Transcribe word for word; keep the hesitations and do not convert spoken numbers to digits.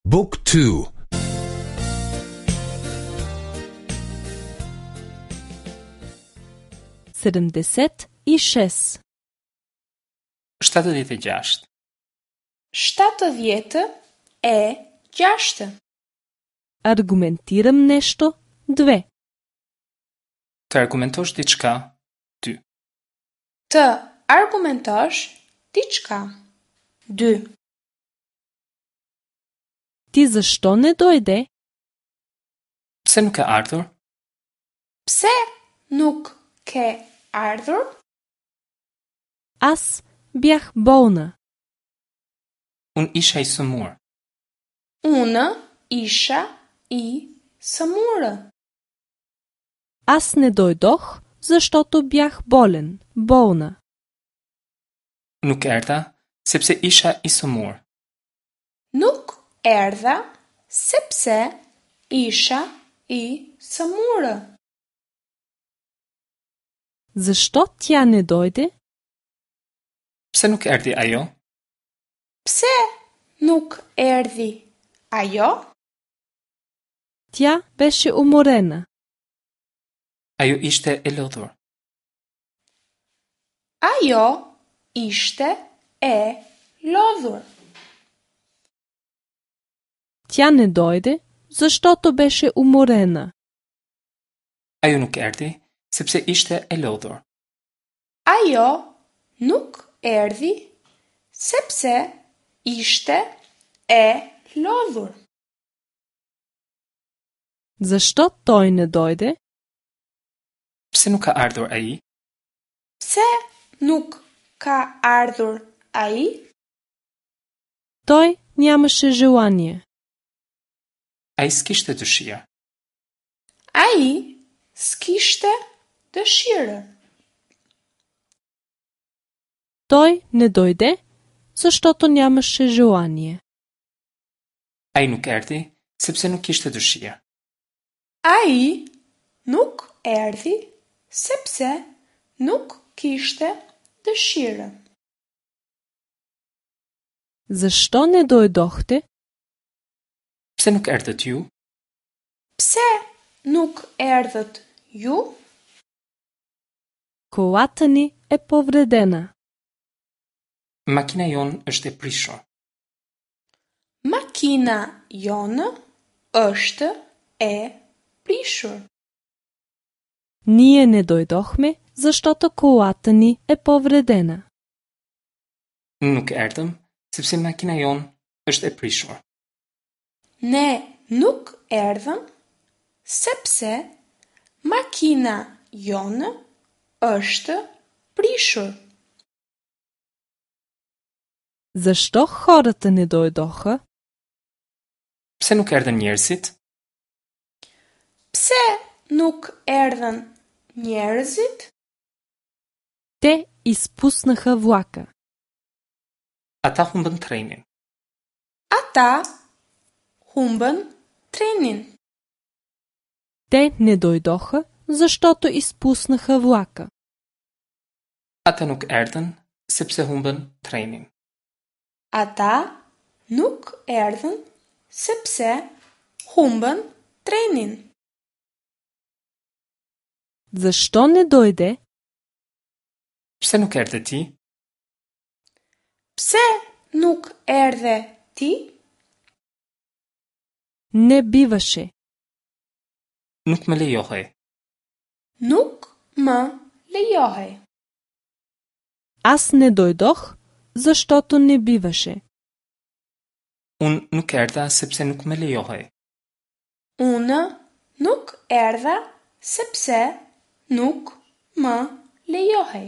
Book two. Седемдесет и шест. Shtatëdhjetë e gjashtë. Shtatëdhjetë e gjashtë. Аргументирам нешто две. Të argumentosh diçka, dy. Të argumentosh diçka. Dy. Ти зашто не дојде? Pse nuk ke ardhur? Pse nuk ke ardhur? Аз бях болна. Unë isha i sëmurë. Unë isha i sëmurë. Аз не дојдох защото бях болен, болна. Nuk erdha sepse isha i sëmurë. Nuk erdha sepse isha i sëmurë. Защо тя не дойде? Pse nuk erdhi ajo? Pse nuk erdhi ajo? Тя беше уморена. Ajo ishte e lodhur. Ajo ishte e lodhur. Тя не дойде защото беше уморена. Ajo nuk erdhi sepse ishte e lodhur. Ajo nuk erdhi sepse ishte e lodhur. Защо той не дойде? Pse nuk ka ardhur ai? Pse nuk ka ardhur ai? Той нямаше желание. Ai s'kishte dëshirë. Ai s'kishte dëshirë. Той не дойде защото нямаше желание. Ai nuk erdhi sepse nuk kishte dëshirë. Ai nuk erdhi sepse nuk kishte dëshirë. Защо не дойдохте? Pse nuk erdhët ju? Pse nuk erdhët ju? Колата ни е повредена. Makina jonë është e prishur. Makina jonë është e prishur. Ние не дойдохме защото колата ни е повредена. Nuk erdhëm sepse makina jonë është e prishur. Ne nuk erdhëm sepse makina jonë është prishur. Защо хората не дойдоха? Pse nuk erdhën njerëzit? Pse nuk erdhën njerëzit? Те изпуснаха влака. Ata humbën trenin. Ata humbën trenin. Те не дойдоха, защото изпуснаха влака. Ata nuk erdhën sepse humbën trenin. Ata nuk erdhën sepse humbën trenin. Защо не дойде? Pse nuk erdhe ti? Pse nuk erdhe ti? Не биваше. Nuk më lejohej. Nuk më lejohej. Аз не дойдох, защото не биваше. Unë nuk erdha sepse nuk më lejohej. Unë nuk erdha sepse nuk më lejohej.